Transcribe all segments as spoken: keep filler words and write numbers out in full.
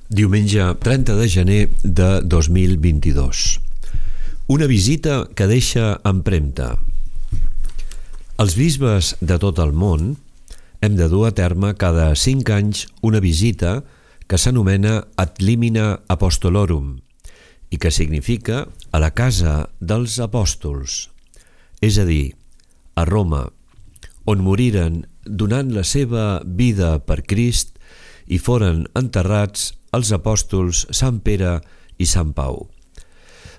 Diumenge trenta de gener de dos mil vint-i-dos. Una visita que deixa empremta. Els bisbes de tot el món hem de dur a terme cada cinc anys una visita que s'anomena Ad limina apostolorum i que significa a la casa dels apòstols, és a dir, a Roma, on moriren donant la seva vida per Crist i foren enterrats els apòstols Sant Pere i Sant Pau.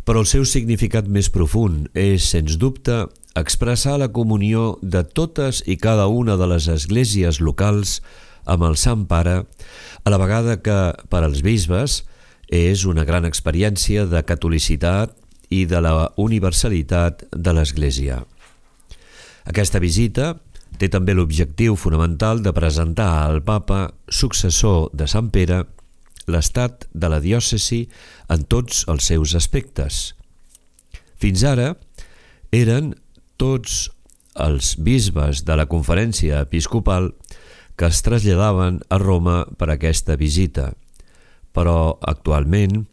Però el seu significat més profund és, sens dubte, expressar la comunió de totes i cada una de les esglésies locals amb el Sant Pare, a la vegada que, per als bisbes, és una gran experiència de catolicitat i de la universalitat de l'Església. Aquesta visita té també l'objectiu fonamental de presentar al Papa, successor de Sant Pere, l'estat de la diòcesi en tots els seus aspectes. Fins ara eren tots els bisbes de la conferència episcopal que es traslladaven a Roma per aquesta visita, però actualment,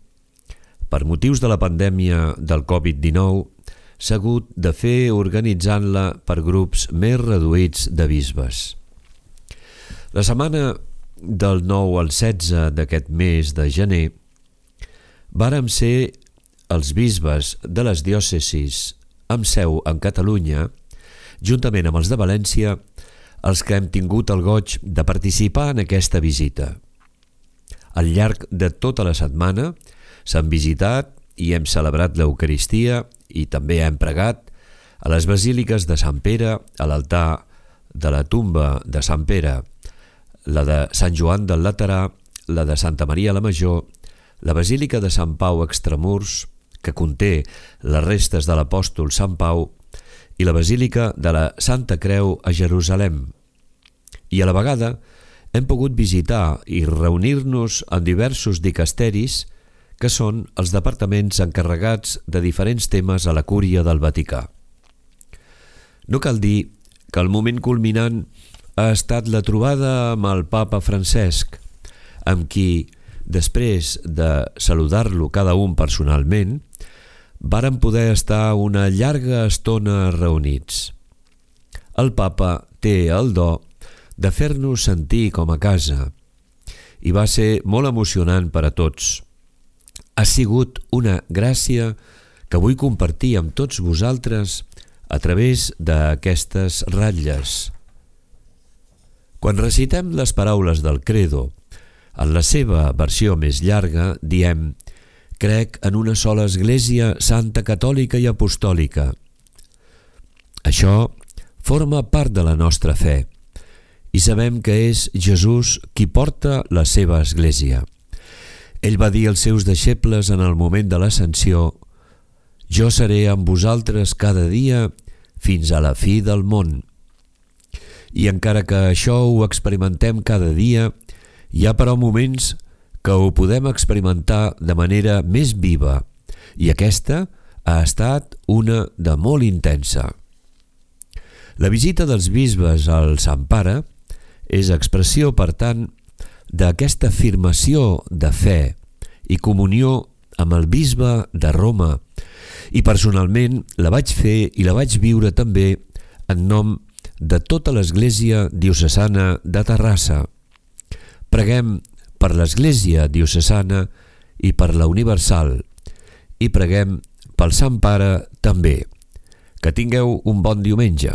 per motius de la pandèmia del covid dinou, s'ha hagut de fer organitzant-la per grups més reduïts de bisbes. La setmana del nou al setze d'aquest mes de gener vàrem ser els bisbes de les diòcesis amb seu en Catalunya, juntament amb els de València, els que hem tingut el goig de participar en aquesta visita. Al llarg de tota la setmana s'han visitat i hem celebrat l'Eucaristia i també hem pregat a les basíliques de Sant Pere, a l'altar de la tomba de Sant Pere, la de Sant Joan del Laterà, la de Santa Maria la Major, la basílica de Sant Pau Extramurs, que conté les restes de l'apòstol Sant Pau, i la basílica de la Santa Creu a Jerusalem. I a la vegada hem pogut visitar i reunir-nos en diversos dicasteris que són els departaments encarregats de diferents temes a la Cúria del Vaticà. No cal dir que el moment culminant ha estat la trobada amb el Papa Francesc, amb qui, després de saludar-lo cada un personalment, vàrem poder estar una llarga estona reunits. El Papa té el do de fer-nos sentir com a casa i va ser molt emocionant per a tots. Ha sigut una gràcia que vull compartir amb tots vosaltres a través d'aquestes ratlles. Quan recitem les paraules del Credo, en la seva versió més llarga, diem «Crec en una sola Església Santa Catòlica i Apostòlica». Això forma part de la nostra fe i sabem que és Jesús qui porta la seva Església. Ell va dir als seus deixebles en el moment de l'ascensió «Jo seré amb vosaltres cada dia fins a la fi del món». I encara que això ho experimentem cada dia, hi ha però moments que ho podem experimentar de manera més viva, i aquesta ha estat una de molt intensa. La visita dels bisbes al Sant Pare és expressió, per tant, d'aquesta afirmació de fe i comunió amb el bisbe de Roma, i personalment la vaig fer i la vaig viure també en nom de tota l'Església Diocesana de Terrassa. Preguem per l'Església Diocesana i per la Universal, i preguem pel Sant Pare també. Que tingueu un bon diumenge.